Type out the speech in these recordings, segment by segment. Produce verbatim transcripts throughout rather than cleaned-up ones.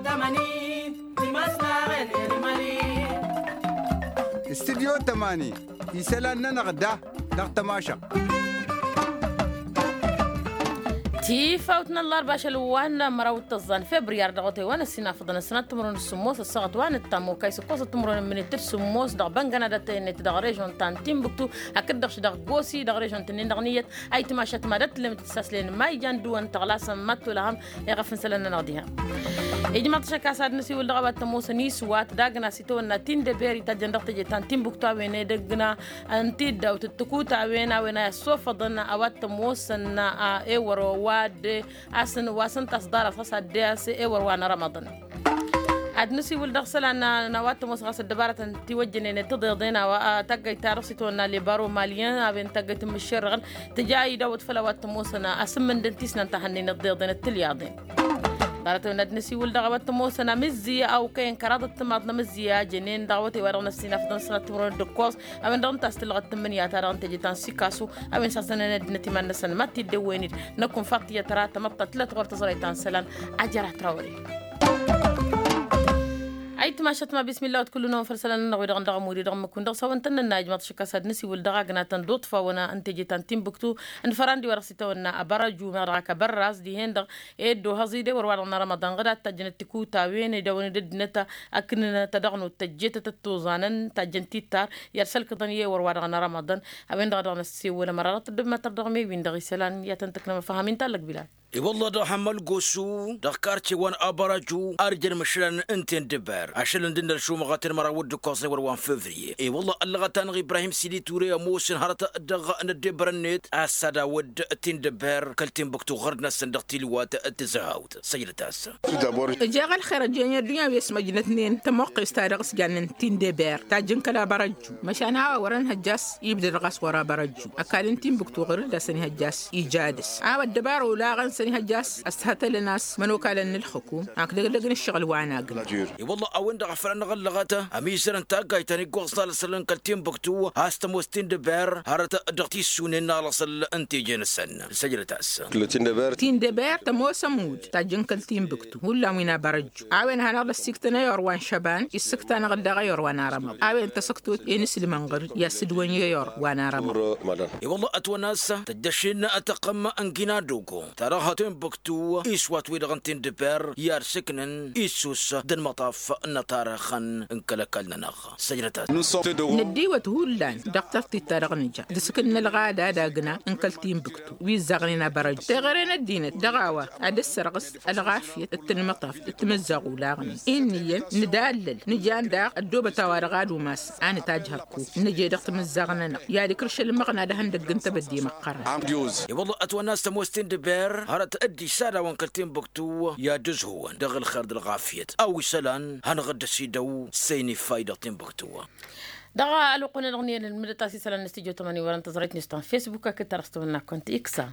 Tămani. Timăslaɣen elimali. Studyo tămani isălan-nănăɣ da dăɣ-tămašăɣt. Tifawt n-ăllarba ašăl wa n-măraw d-tăẓẓan febriyar dăɣ-otay wa n-ăssinafăḍăn ăssinat timǝrwen d-sǝmmos ăssaɣăt wa n-ăttam okay s-ǝkkos timǝrwen n-minit d-sǝmmos dăɣ-băngăna d-ătăynet dăɣ-režon ta n-tinbǝktu hakd-dăɣ š-dăɣ gosi dăɣ-režon-tǝnnin dăɣ-niyyăt. Ayǝtmašat ma d-ătlǝm tǝssaslen ma ijan dǝwăn tăɣlasăn ma t-olăhăm. Iɣăf n-isălan-nănăɣ diha ijmaḍ-t ašăk a-s ad-nǝsiwǝl dăɣ-a-wa t-ămoosăn iswat d-agna s-itawănna tindăber itajjăn dăɣ-teje ta n-tinbǝktu a-wen edăgg n-tiddawt d-tǝkutawen a-wen a i-ăssofăḍăn a-wa t-ămoosăn ewăr wa d-asăn wa s-ǝnta a-s ḍarăt ɣas ad-dd-e-as ewăr wa n-rămăḍăn. Ad-nǝsiwǝl dăɣ-isălan n-a-wa t-ămoosăn ɣas ăddăbarătăn tiwăjjănen d-tiḍeḍen a-wa taggayt-ta-dăɣ s-itawănna lebaro maliyăn a-wen taggayt n-imǝššerrăɣăn tǝja idawăt făll-a-wa t-ămoosăn asǝmmǝndăn tisnant a hănnen ăḍḍeḍen d-tilyaḍen. Ḍarăt-wen ad-nǝsiwǝl dăɣ-a-wa t-ămoosăn amǝzzi a okăyăn kăraḍăt timaḍ n-amǝzzi a jănen dăɣ-awătay wa dăɣ-năssinafăḍăn s-nătmărwen d-ǝkkoẓ a-wen-dăɣ ǝnta a-s tǝllăɣăt tǝmmǝnǝya-ta-dăɣ n-teje ta n-sikasu a-wen s-hasăn-ănăddinăt iman-năsăn ma t-dd-ewwen-dd. Năkk unfăɣ tiyyăt ra tamăḍt ta tǝllăt ɣur-tăẓrăy ta n-isălan. Ajăr-atrăwăre. Ayǝtmašat ma bismilla wa t-kull-năwăn făll-isălan-nănăɣ wi-dăɣ n-dăɣ ămuri dăɣ-mǝkun dăɣ-s a-wen tăn-nănna ijmaḍ-t ašăk a-s ad-nǝsiwǝl dăɣ-agna ta n-duṭfa-wăn n-teje ta n-tinbǝktu n-fărandi wa dăɣ-s itawănna abărăju meɣ dăɣ-ak abărraz dihen-dăɣ. Ed ohăẓ-i d-ewăr wa dăɣ-nărămăḍan ɣǝdat tajjăn d-tikutawen idawăn-dd ăddinăt akǝnnăt ad-dăɣ-nut tăjjet ad-tăt-tuẓanăn tajjăn tittar i-ad-sălkăḍăn i-ewăr wa dăɣ-nărămăḍan. A-wen-dăɣ a dăɣ-năssewăl ămăra dăɣ-tăddobem ad-tărdăɣ mewin-dăɣ isălan i-ad-tăn-tǝknăm ăfăhăm-in tallăg bilal. I-wălla dăɣ-hămmăl gosu dăɣ-karce wa n-abăraju ar jăn măšlan n-tindǝber ašăl n-dd-nălšumăɣăt n-măraw d-ǝkkoẓ n-ewăr wa n-fevriye. I-wălla ăllăɣăt-anăɣ ibrahim sidi ture ămoosăn hărăt dăɣ-năddebărăn-net a-s ad-awădd tindǝber kăl-tinbǝktu ɣărd-năsăn dăɣ-tilwat d-tǝzăhawt. Săjdăt-as. Ǝjeɣ ălxer ăjjeen i-ăddunya wi ăsmăjnătnen tămoqqest ta dăɣ-s jannen tindeber tajjǝn kăla bărăjju măšan a-wa wărăn hăjja a-s ibdăd ɣas wăra bărăjju ăkall n-tinbǝktu ɣur-dd a-s ănihăjja a-s ija dăɣ-s a-wa ăddăbara olaɣăn s-ănihăjja a-s ăshătălăn a-s mănokalăn n-ǝlxǝkum. Ak dăgg-dăgg n-ǝššăɣǝl wa n-agǝn. I-wălla a-wen-dăɣ a făl anăɣ-ăllăɣăt ămizărăn taggayt ta n-iggoẓ n-alăsălăn kăl-tinbǝktu a-s tămoos tindeber hărăt dăɣ-tissunen n-alăsăl n-teje-năsăn. Săjdăt-as. Tindeber tămoos ămudd tajjǝn kăl-tinbǝktu hullan wi n-a bărăjju a-wen hanăɣ-dd-ăssiktăn ăyor wa n-šăban issǝkta-năɣ-dd dăɣ-ăyor wa n-arămăḍ a-wen tăsăktot i-inǝslǝmăn ɣǝr-dd i-ad-sǝdwăn i-ăyor wa n-arămăḍ. I-wălla ătwănna a-s tăjjăšin tăqqăm n-ginadogo ta dăɣ-ha tinbǝktu iswat-wi-dăɣ n-tindeber i-ad-sǝknăn issus d-ănmăṭaf n-atarăxăn n-kăl-ăkall-nănăɣ. Săjdăt-as. Năddiwăt hullan dăɣ-tărtit ta dăɣ-nǝja d-asǝkǝl n-ălɣada d-agna n-kăl-tinbǝktu wi ǝzzaɣnen abărăjju teɣăre n-ăddinăt dăɣ-a-wa ad-dd-sărɣǝs ălɣafyăt d-tǝnmăṭaft d-timǝzzaɣ olaɣnen. Inn'-iyyăn nǝdallăl nǝjan daɣ ăddoobăt a-wa-dăɣ ad-umas a nǝtajj hărkuk nǝje dăɣ-timǝzzaɣ-nănăɣ i-ad-ikrǝš ălmăɣna d-ehăndăgg n-tebădde măqqărăn. I-wălla ătwănna a-s tămoos tindeber hărăt dd-isadawăn kăl-tinbǝktu i-ad-ǝzhǝwăn dăɣ-ălxer d-ălɣafyăt a-wa isălan hanăɣ-dd-ăsidăw s-e-inǝffay dăɣ-tinbǝktu. Dăɣ-ălwăqq-wen-dăɣ n-iyyăn ǝlmǝdăt a-s isălan n-studyo tămani wărăn tăẓrăyt n-istan facebook akǝd ta dăɣ-s tăwănna kăwăn-t iksa.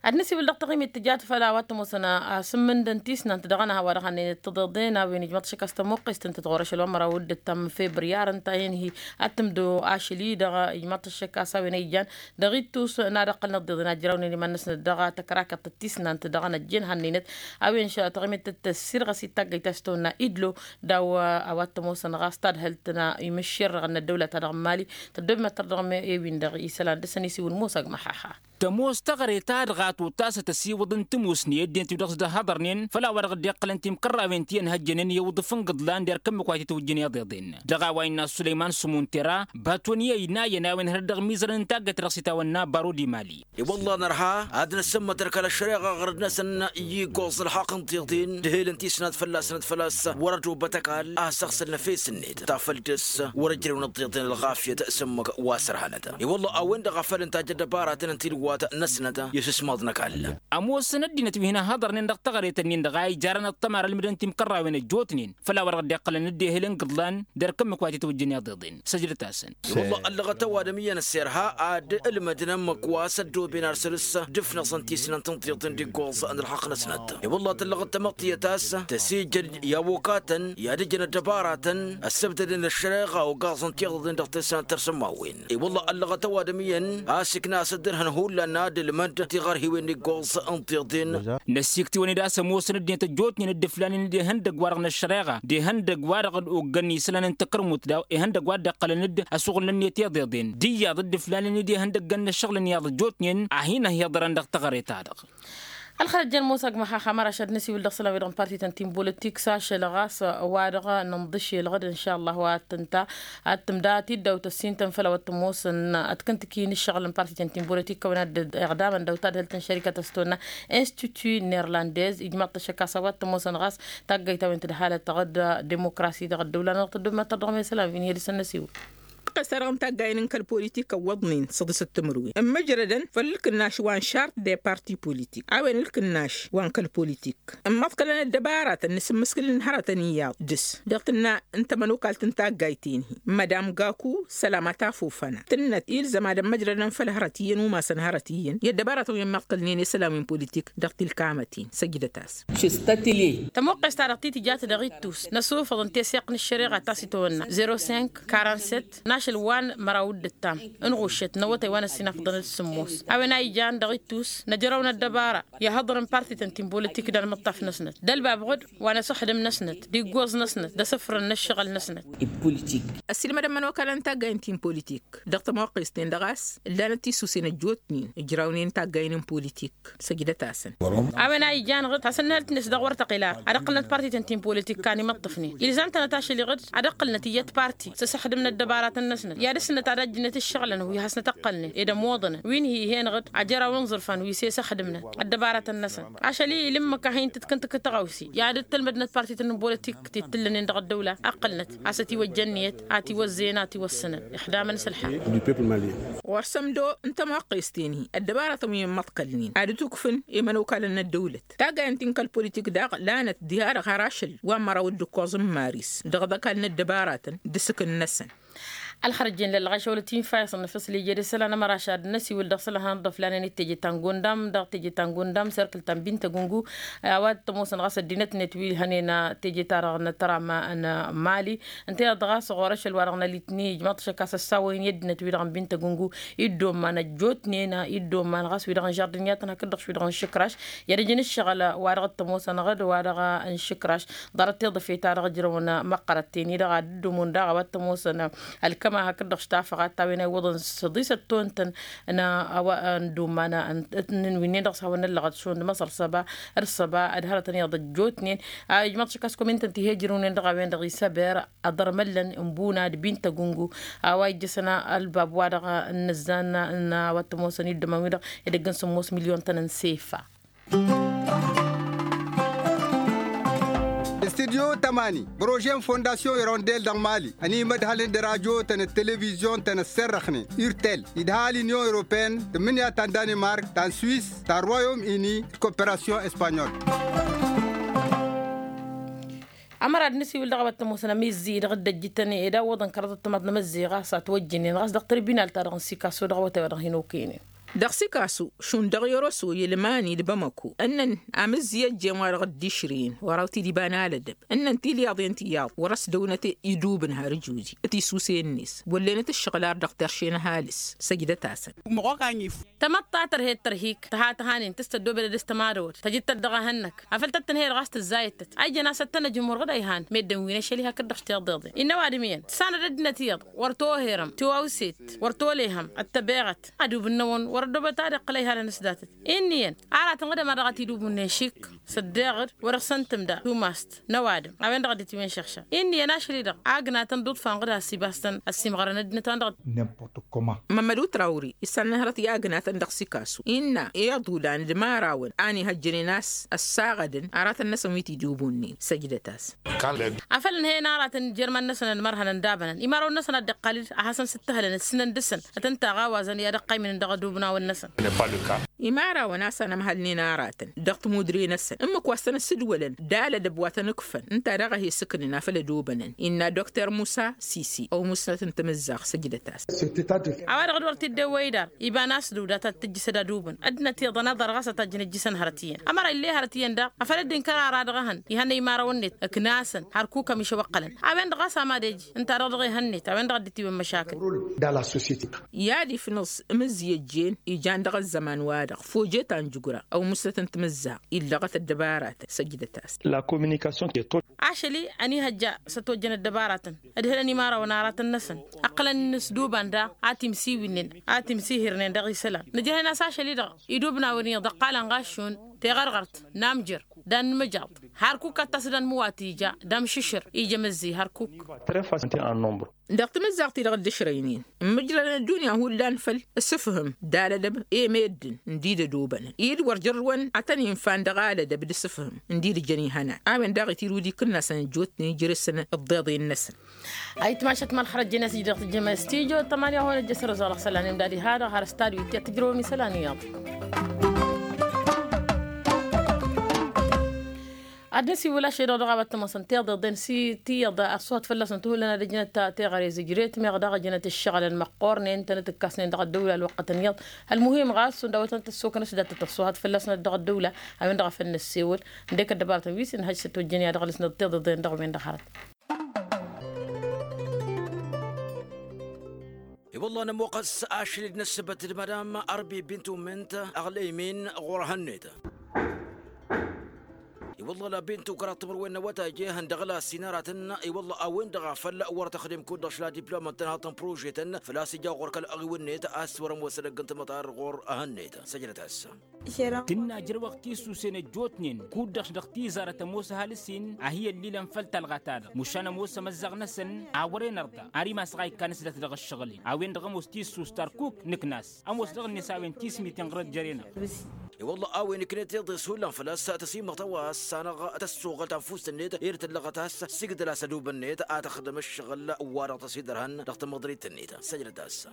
Ad-nǝsiwǝl dăɣ-taɣimit tǝjat făll-a-wa t-ămoosăn asǝmmǝndăn tisnant dăɣ-ănha wa dăɣ-hannăynet tǝḍeḍen a-wen ijmăḍ-t ašăk a-s tămoqqest ǝntăt ɣur-ašăl wa n-măraw d-ǝttam n-febriyar ǝnta a hin-hi ad-tǝmdǝw ašăl-i-dăɣ ijmăḍ-t ašăk a-s a-wen a ijan dăɣ-ittus n-ad-ăqqălăn ăḍḍeḍen ad-jărawnen iman-năsnăt dăɣ-tăkrakeḍt d-tisnant dăɣ-năjjen hannăynet. A-wen taɣimit tăssirɣăs i-taggăyt a-s tăwănna idlo d-a-wa t-ămoosăn ɣas tadhǝlt n-imǝššerrăɣ n-ăddăwla-ta-dăɣ n-mali. Tăddoobem ad-tărdăɣ ewin-dăɣ isălan dăr-săn isiwǝl musag măxaxa. Tămoos taɣre-ta-dăɣ a tottasăt ăsiwǝḍăn tămoosne ăddinăt wi-dăɣ s-dd-ăhhăḍărnen făll-a-wa dăɣ-dd-iqqălăn timkărrawen ti ănhăjjănen i-iwǝḍǝf n-igǝḍlan derk ǝmmǝk wa t-itwǝjjăn iḍeḍen. Dăɣ-a-wa innă ăssulăyman sǝmuntera bătwăn i-ăynayăn a-wen hărăt dăɣ-mizărăn n-taggăyt ta dăɣ-s itawănna baro d-imali. I-wălla nărha ad-năssămmătăr kăla ăššăreɣa ɣărăd-năsăn i-iggoẓ n-ălxaqq n-tiḍen d-ehel n-tisnat fălla-săn d-făl-a-s wăr-ădobăt ăkall a săɣsăl n-efes-net ta făl dăr-s wăr-ăjrăwăn ăḍḍeḍen ălɣafyăt s-ǝmmǝk wa s-ărhanăt. I-wălla a-wen-dăɣ a făl ǝnta a jădăbaratăn n-tilwat-năsnăt i-asǝsmaḍ n-ăkall. Ămoosăn ăddinăt wi hin-ăhhăḍărnen dăɣ-taɣret-nin-dăɣ a ijarăn ăṭṭămar ălmǝdăn timkărrawen ăjjootnen făll-a-wa dăɣ-dd-iqqălăn dd-ehel n-igǝḍlan derk ǝmmǝk wa t-itwǝjjăn iḍeḍen. Săjdăt-asăn. I-wălla ăllăɣăt ăwadǝm iyyăn ăssirha ad-ǝlmǝdnăn ǝmmǝk wa s-ăddooben ar săr-s d-ǝfnăẓăn tisnant n-tiḍen d-iggoẓ n-ălxaqq-năsnăt. I-wălla tăllăɣăt tamăḍtiyăt a-s tăsijăd i-ăwokatăn i-ad-ǝjăn ăddăbaratăn ăssăbdădăn ăššăreɣa ogaẓăn tiḍeḍen dăɣ-tisnant tărsǝmmawen. I-wălla ăllăɣăt ăwadǝm iyyăn a-s ǝkna a-s dd-ărhăn hullan. Ad-nădălmăd tiɣărhiwen n-iggoẓ n-tiḍen. Năsiktǝwăn-dd a-s ămoosăn ăddinăt ăjjootnen d-iflanen d-ihăndăgg-wa-dăɣ n-ăššăreɣa d-ihăndăgg-wa-dăɣ d-oggăn isălan n-takărmut daw-ihăndăgg-wa dd-iqqălăn-dd ăsuɣǝl n-ănniyăt iḍeḍen d-iyyăḍ d-iflanen d-ihăndăgg n-ăššăɣǝl n-iyyăḍ ăjjootnen. A hin-ăhiḍărăn dăɣ-teɣăre-ta-dăɣ. Ălxărăt jăn musăg măxaxa măraš ad-nǝsiwǝl dăɣ-isălan-wi-dăɣ n-partităn ti n-bolătik s-ašăl ɣas wa-dăɣ nǝnḍǝš elɣăd n-šalla wa t-tǝnta ad-tǝmda tiddawt ăssintăn făll-a-wa t-ămoosăn ad-kǝntǝki n-ǝššăɣǝl n-partităn ti n-bolătik kăwăn-ad-iɣdamăn daw-tadhǝlt n-šărikăt s-tonna institut nerlandez ijmaḍ-t ăššăk a-s a-wa t-ămoosăn ɣas taggayt a-wen tǝdhalăt dăɣ-dd-demokrasi dăɣ-ăddăwla-nănăɣ tăddob ma tărdăɣ mesălan wi n-hi-dăɣ s-ad-năsiwǝl. Ăqqes-ta-dăɣ n-taggayen n-kăl-politik ăwwăḍnen săḍisăt timǝrwen ǝmmǝjrădăn făll-ǝlkǝnnaš wa n-šart de parti politik a-wen ǝlkǝnnaš wa n-kăl-politik ǝmmăḍkălăn ăddăbaratăn n-asǝmmǝskǝl n-hărătăn iyyăḍ dăr-s dăɣ-tǝnna n-tamănokalt n-taggayt-en-hi. Madam gaku sălama tafofăna tǝnnăt ilzăm ad-ămmăjrădăn făll-hărăt iyyăn umasăn hărăt iyyăn i-ăddăbaratăn wi ămmăḍkălnen i-isălan wi n-politik dăɣ-tilkamăt-in săjdăt-as. Tămoqqes-ta-dăɣ ti tǝjat dăɣ-ittus năsufăḍ n-teseɣt n-ăššăreɣa ta s-itawănna zero cinq quarante-sept n-ašăl wa n-măraw d-ǝttam n-ɣuššăt n-awătay wa n-ăssinafăḍăn d-sǝmmos a-wen a ijan dăɣ-ittus năjrăw n-ăddăbara i-ahăḍăr n-partităn ti n-bolătik d-almǝṭṭaf-năsnăt d-ălbabɣăd wa n-asǝxdǝm-năsnăt d-iggoẓ-năsnăt d-asǝfrăn n-ăššăɣǝl-năsnăt. Ăssiilmădăn imănokalăn n-taggayen ti n-politik dăɣ-tămoqqes-ten-dăɣ a-s ǝllanăt tisusen ăjjootnen ǝjrawnen taggayen n-politik săjdăt-asăn. A-wen a ijan ɣǝd hasăn-nǝhăl tinǝs dăɣ-wăr tăqila ad-ǝqqǝlnăt partităn ti n-politik kan imăṭṭăfnen ilzam-tănăt ašăl iɣǝd ad-ǝqqǝlnăt iyyăt parti s-asăxdǝm n-ăddăbaratăn-năsnăt i-ad-ǝssǝnnăt ad-ăjjǝnăt ǝššăɣǝlăn wi hasnăt-ǝqqălnen ed ămoḍănăn wi n-hi-hen ɣǝd ajăraw n-iẓǝrfan wi s-e-săxdǝmnăt ăddăbaratăn-năsăn ašăl-i ǝlǝmmǝk a hin-tǝtkǝntǝk tăɣawse i-ad-dd-tălmădnăt partităn n-bolătik ti t-ǝllănen dăɣ-ăddăwla ǝqqǝlnăt a-s ătiwăjja ǝnniyăt a tiwăzzeyăn a tiwăssănăn ixdamăn s-ălḥal. Ɣur-sămdo n-tămoqqes-ten-hi ăddăbaratăn wi n-imăḍkălnen ad-ǝtukfǝn i-imănokalăn n-ăddăwlăt taggayen ti n-kăl-politik daɣ lanăt diha-dăɣ har ašăl wa n-măraw d-ǝkkoẓ n-maris dăɣ-iḍăkal n-ăddăbaratăn d-asǝkǝn-năsăn. Ălxărăt jen lălɣašăwălăt infa isănnăfăs lije d-isălan ămăraš ad-năsiwǝl dăɣ-isălan hanăḍḍăf lanen d-teje ta n-gondam dăɣ-teje ta n-gondam serkǝl ta n-bintăgungu. A-wa t-ămoosăn ɣas ăddinătnet wi hănen teje-ta-dăɣ n-tăram n-mali ǝnta iyyăḍ ɣas ɣur-ašăl wa-dăɣ n-alitni ijmaḍ-t ašăk a-s ăssawăyăn i-ăddinăt-wi-dăɣ n-bintăgungu. Iddomman ăjjootnen iddomman ɣas wi-dăɣ n-žardǝnyatăn hakd-dăɣ š-wi-dăɣ n-išǝkraš i-ad-ǝjǝn ǝššăɣǝl wa dăɣ-t ămoosăn ɣǝd wa-dăɣ n-išǝkraš. Ḍarăt tiḍǝfe-ta-dăɣ ǝjrăwăn măqqărăt-ten-i-dăɣ ad-dd-ǝddomon daɣ a-wa t-ămoosăn ălkăma hakd-dăɣ š-tafăɣat ta wen a iwwăḍăn săḍisăt tontăn n-a-wa n-dd-umman n-wi-nen dăɣ-s hawăn-năllăɣăt šund măṣăr săba d-săba d-hărătăn iyyăḍ ăjjootnen. Ijmăḍ šăkkas komintăn ti he-ǝjrǝwnen dăɣ-a-wen-dăɣ isăber ăḍărmăllăn n-buna d-bintăgungu. A-wa ijjăsăn ălbab wa-dăɣ n-inǝzzan n-a-wa t-ămoosăn iddăman-wi-dăɣ edăgg n-sǝmmos milyon-tăn n-sefa. Studyo tămani prože n-fondasyon irondel dăɣ-mali ănimădhălăn d-rajo-tăn d-televizyon-tăn ăsserrăxnen urtel idha l-inyon europeyăn tǝmmǝnǝya ta n-danimark ta n-swis ta n-royom ini d-koperasyon espanyol. Ămăra d-nǝsiwǝl dăɣ-a-wa t-ămoosăn amizzi dăɣ-dd-ăjjǝtăn ed a ǝwwăḍăn kăraḍăt timaḍ n-amăzzi ɣas a ătwăjjǝnen ɣas dăɣ-tărbinal-ta-dăɣ n-sikaso dăɣ-awătay wa dăɣ-hin-okăynen. Dăɣ-sikasu šund dăɣ-yărosăw i-ălmani d-bamăko ǝnnăn amǝzzi ăjjeen wa dăɣ-dd-išrǝyăn wăr-awǝt-dd-iba n-alădăb ǝnnăn tilyaḍen tiyyăḍ wăr-ăsdăwnăt idubǝn har ǝjuji tisuse-net wăllenăt ǝššăɣǝl ar dăɣ-terše n-ăhalǝs. Săjdăt-asăn. Tamăḍt ta tărhed tărhik tăha tăhanen tǝstăddobed ad-dăɣ-s tămadăwăd tăjǝd-tăt dăɣ-ehăn-năk afăl tăt-tǝnhăyăd ɣas tǝzzayăt-tăt a ijăn a-s ăttănăjăm wăr ɣǝd a ihan meddǝn wi n-ašăl-i hakd-dăɣ š-tiḍeḍen innă ăwadǝm iyyăn tǝssanăd ăddinăt iyyăḍ wăr toherăm tiwawset wăr tolehăm ăttăbeɣăt ad-ubǝnnăwăn wăr ăddobăt ad-iqqǝl a ihalăn s-datăt. Inn'-iyyăn aratăn ɣǝdăm a dăɣ-t-id-ubǝnnen šik s-ăddeɣ-dd wăr-ăɣsăn tǝmda tumast n-ăwadǝm a-wen-dăɣ dd-tiwǝnšăɣšăɣ. Inn'-iyyăn ašăl-i-dăɣ agnatăn d-uḍfan ɣǝd has-ibastăn ăssimɣărăn ăddinăt-a-wen-dăɣ. Mămmăd utrawri isănnăhrăt i-agnatăn dăɣ-sikasu innă i-iḍulan d-imărawăn a n-ihăjjănen a-s ăssaɣădăn aratăn-năsăn wi t-id-ubunnen săjdăt-as. Afăl ǝnhăyăn aratăn jer-iman-năsăn ănmărhănăn d-abănăn imărawăn-năsăn a dd-iqqal-dd ad-hasăn-sǝttǝhǝlăn ǝssǝnăn dăɣ-săn ad-tăn-taɣawazăn i-ad-ăqqaymǝnăn dăɣ-edubǝnawăn-năsăn. Imărawăn a-s anămhălnen aratăn dăɣ-timudre-năsăn ǝmmǝk wa s-tăn-ăssǝdwălăn d-alădăb wa tăn-ǝkfăn ǝnta daɣ a he-sǝknen afăl ădobănăn innă dokter musa sisi ăwmǝsnăt n-timǝzzaɣt săjdăt-as. A-wa-dăɣ d-wăr t-dd-ewwăy dar iba n-asdăw dat-ad-tǝjjǝs ădadubǝn ăddinăt iyyăḍ ănăḍăr ɣas ad-tajjăn ǝjjǝsăn hărăt iyyăn ămăra ill'-e hărăt iyyăn daɣ afăl dd-inkăr ara dăɣ-ehăn ihănnăy imărawăn-net ǝknasăn hărkuk ămišăw ǝqqălăn a-wen-dăɣ ɣas a mad-ej ǝnta-dăɣ dăɣ-ehăn-net a-wen-dăɣ a dd-itiwǝn măšakǝl. I-ad-ifnǝẓ imǝzzi ăjjeen ijan dăɣ-ăzzăman-wa-dăɣ foje ta n-jǝgura ăwmǝsnăt n-timǝzzaɣt illăɣăt ăddăbaratăn săjdăt-as. Ašăl-i ănihăjja s-ătwăjjăn ăddăbaratăn ădhǝlăn imărawăn aratăn-năsăn ǝqqǝlăn-in s-duban daɣ a timsiwǝnnen a timsihirnen dăɣ-isălan nǝjrăhăn a-s ašăl-i-dăɣ idubnawen iyyăḍ ăqqalăn ɣas šund teɣărɣărt n-amjăr d-ad-nǝmǝjaḍ hărkuk ad-tasǝd anmǝwat ija d-amšǝššǝr ija măzzi hărkuk. Dăɣ-timǝzzaɣt-i-dăɣ dd-ǝšrăynen ǝmmǝjrălăn ăddunya hullan făll-asǝfhǝm d-alădăb i-meddǝn ǝndi d-ădobănăn i-dd wăr jărrǝwăn ad-tăn-infan dăɣ-alădăb d-asǝfhǝm ǝndi d-ǝjăn ihănan a-wen daɣ itirǝw d-ikǝnnasăn ăjjootnen ijrǝsăn ǝḍḍeḍen-năsăn. Ayǝtmašăt ma ălxărăt jen-asǝjdăɣ tǝjjăm s-tijo tămani a hon ăjjăsăr ăẓalăɣ isălan imdad iha-dăɣ har stadiu ittǝjrăwăm isălan iyyăḍ. Ad-năsiwǝl ašăl-i-dăɣ dăɣ-a-wa t-ămoosăn tiḍeḍen s-tiyyăḍ ăṣṣuhăt fălla-săn tǝhullăn ad-ǝjnăt teɣăre zǝjret meɣ daɣ ǝjnăt ǝššăɣǝlăn măqqoornen tănăt-ǝkkasnen dăɣ-ăddăwla ălwăqqătăn iyyăḍ. Ălmuhim ɣas šund a-wa tănăt-ăssokăn s-datăt ăṣṣuhăt fălla-săn dăɣ-ăddăwla a-wen-dăɣ a făl năssewăl ǝndek ăddăbaratăn wi s-inhăj s-ătwăjjăn i-ad-ăɣlǝsnăt tiḍeḍen dăɣ-wen-dăɣ hărăt. I-wălla nămoqqăs ašăl-i d-năssăbăt d-madam arbi bintu mǝnt aɣlăymin ɣur-ehăn-net. I-wălla la bintu kăraḍ timǝrwen n-awătay jehăn dăɣ-la sinăratăn. I-wălla a-wen-dăɣ a făl wăr tăxdem kud-dăɣ šla diplomăn tănhaḍt n-prožetăn făl-a-s ija ɣur-kăl-aɣiwǝnnet a-s wăr-ămoos edăgg n-tamăṭar ɣur-ehăn-net săjdăt-as. Tǝnna ǝjrăwăɣ tisusen ăjjootnen kud-dăɣ dăɣ-tizarăt ămoos ăhalǝs-in a hi-ăllilăn făll-talɣa-ta-dăɣ mušan ămoos amăzzaɣ-năsăn a wăren ărḍa ar imasăɣ a ikkan s-dat dăɣ-ǝššăɣǝl-in a-wen-dăɣ ămoos tisust ărkuk nǝknas ămoos dăɣ-net a-wen tismiten ɣur-ăjjăren-aɣ. I-wălla a-wen ǝknet iḍes hullan făl-a-s tăsimăɣ tăwas-anăɣ tăssuɣăl tanfust-net ed tǝllăɣăt a-s sigdăl-as ădub-net ad-tăxdăm ǝššăɣǝl wa-dăɣ tăsidărhăn dăɣ-tamăḍrit-net săjdăt-as.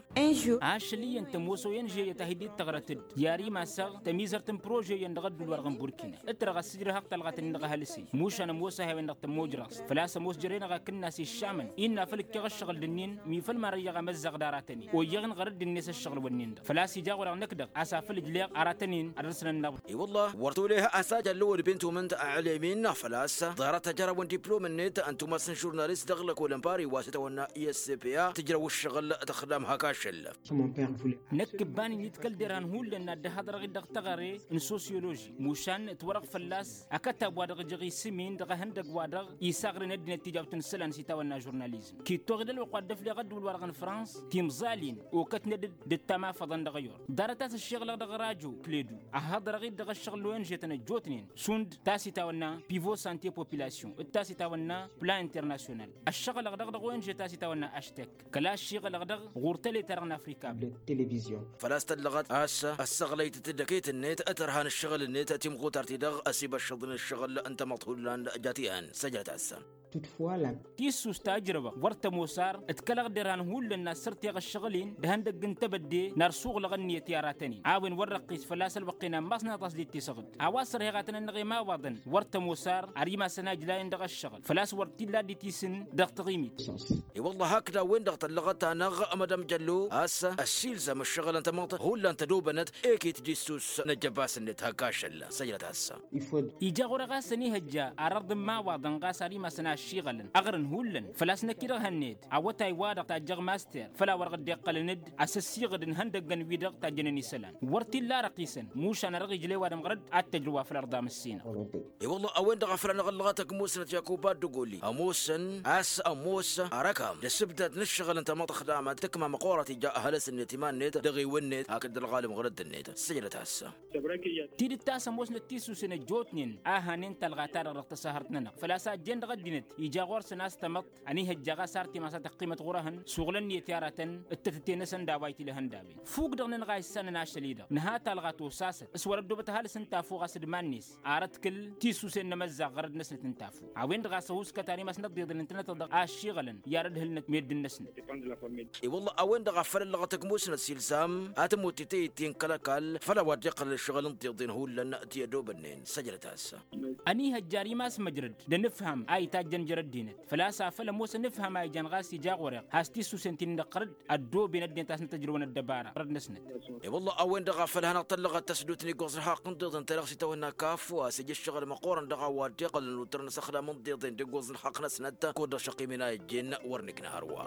Ašăl iyyăn tămoos o-enže-yăt a hi-dd-tăɣrăt-dd i-ar imasăɣ tămizărt n-prože-yăn dăɣ-ădduul-wa-dăɣ n-burkina ǝtrăɣ ăssijrăhăɣ talɣat-nin dăɣ-ehălǝs-i mušan ămoos a hi-a-wen-dăɣ tămmojrăẓt făl-a-s ămoos jăren-aɣ a kǝnnas iššamăn innă făl ǝkkeɣ ǝššăɣǝl d-ǝnnin mi făl marăyyăɣ amăzzaɣ d-aratăn-in oyyăɣ-in ɣărădd-net ǝššăɣǝl-wǝnnin-dăɣ făl-a-s ija ɣur-eɣ năkk-dăɣ a-s afăl ǝjleɣ aratăn-in ad-dăr-săn ănnaḍ. I-wălla wăr t-oleh a-s ajăllu d-bintu mǝnt ălăymin făl-a-s ḍarăt ajărawăn diplom-net ǝnta umas n-žurnalist dăɣ-lăkol n-pari wa s-itawănna i-s p a tǝjrăw ǝššăɣǝl tăxdam hak ašăl. Năkk ǝbban-in itkăl derhan hullan n-ad-dd-ăhhăḍrăɣ-dd dăɣ-teɣăre n-sosyoloži mušan ǝtwărăɣ fălla-s akătab wa dăɣ-ijăɣ isǝm-in dăɣ-ehăndăgg wa dăɣ-isaɣrăn ăddinăt tijawt n-isălan s-itawănna žurnalizm kittoɣ-dd ălwăqq wa dd-ăfleɣ ădduul-wa-dăɣ n-frans timẓal-in okătnăt-dd d-ăttam afăḍăn dăɣ-i-wăr ḍarăt a-s ăššiɣlăɣ dăɣ-rajo kledu ăhhăḍrăɣ-dd dăɣ-ăššăɣǝl n-o n-žetăn ăjjootnen šund ta s-itawănna pivo sante population d-ta s-itawănna plan internasyonal ăššăɣǝlăɣ-dăɣ dăɣ-o n-žet ta s-itawănna aštek kăla ăššiɣǝlăɣ-dăɣ ɣur-tăle-ta-dăɣ n-afrika. Făl-a-s tăllăɣăt a-s ăssăɣlăytăt d-eket-net tărha n-ǝššăɣǝl-net timɣutart-i-dăɣ ăsibăššăḍ n-ǝššăɣǝl n-tamăḍt hullan jat ihăn săjdăt-asăn. Tisust ta ǝjrăwăɣ wăr tămoos ar ǝtkălăɣ derhan hullan n-ad-sărteɣ ǝššăɣǝl-in d-ihăndăgg n-tebădde n-ad-suɣlăɣ ǝnniyăt i-aratăn-in a-wen wăr răqqis fălla-s ălwăqq-en ammas n-aḍas dd-ittisăɣ-dd a-wa s-ărheɣ ad-tăn-ănnăɣ i-imawaḍăn wăr tămoos ar ar imasăn a ǝjlayăn dăɣ-ăššăɣǝl făl-a-s wăr t-illa dd-itisǝn dăɣ-taɣimit. I-wălla hakd a-wen-dăɣ tăllăɣăt-anăɣ mădam jăllu a-s ăssiilzam ǝššăɣǝlăn tamăḍt hullan tădobănăt ekit d-issus n-ăjjăbbas-net hak ašăl săjdăt-as. Ija ɣur-e ɣas ănihăjja arăḍ n-imawaḍăn ɣas ar imasăn a ăššiɣălăn ăɣrǝn hullan făl-a-s năkk-i-dăɣ hănned awătay-wa-dăɣ tajjăɣ master făl-a-wa-dăɣ dd-iqqălăn-dd asăssiɣǝd n-ihăndăggăn-wi-dăɣ tajjănen isălan wăr t-illa răqisăn mušan ad-dăɣ-ijlăy ăwadǝm ɣărăt ad-tăjrǝw wa făll-ărḍa măssinăɣ. I-wălla a-wen-dăɣ a făl anăɣ-ăllăɣăt ăkmusnăt yakuba d-ăgolli ămoosăn a-s ămoos arăkam d-asǝbdad n-ǝššăɣǝl n-tamăḍt ăxdamăt tǝkma măqqoorăt ija ăhălăs-net iman-net dăɣ-ewăn-net hakd ălɣalăm ɣur-ăddǝn-net. Săjdăt-asăn. Tidǝt ta s-ămoosnăt tisusen ăjjootnen a hanen talɣa-ta-dăɣ dăɣ-tăsahărt-nănăɣ făl-a-s a ăjjeen dăɣ-ăddinăt ija ɣur-săn a-s tamăḍt ănihăjja ɣas ar timas a tăqqimăt ɣur-ehăn suɣǝl ǝnniyăt i-aratăn d-tătǝte-năsăn d-a-wa itǝlhăn d-a-wen fuk-dăɣ-nănăɣ a issanăn ašăl-i-dăɣ nǝha talɣa tosasăt. s-wăr-ăddoobăt ăhalǝs n-tafu ɣas d-iman-net. Ar ătkǝl tisusen n-emăzzaɣ ɣărăd-năsnăt n-tafu a-wen-dăɣ a-s ăhuuskat ar imasnăt d-iḍen ǝntănăt-dăɣ a ăššiɣălăn i-ad-ădhǝlnăt meddǝn-năsnăt. I-wălla a-wen-dăɣ a făl ăllăɣăt ăgg musnăt s-ilzam ad-tămoot tităyy-ti n-kăl-ăkall făll-a-wa dd-iqqălăn ǝššăɣǝl n-tiḍen hullan ti-ădobănnen săjdăt-as. Ăniihăjjar imass măjrăd d-anǝfham a itajjăn jer-ăddinăt făl-a-s afăl ămoosăn ǝfham a ijan ɣas ija ɣur-eɣ has-tisusen ti n-inăqqărăd ăddooben ăddinăt a-s nătăjrăwăn ăddăbara ɣărăd-năsnăt. I-wălla a-wen-dăɣ a făl hanăɣ-tăllăɣăt tăsdut n-iggoẓ n-alxaqq n-tiḍen ta dăɣ-s itawănna kaffu a-s ija ǝššăɣǝl măqqoorăn dăɣ-a-wa dd-iqqălăn ălwăttărăn asăxdam n-tiḍen d-iggoẓ n-alxaqq-năsnăt kud-dăɣ šăqqim inayăjjen wăr nǝkna hărwa.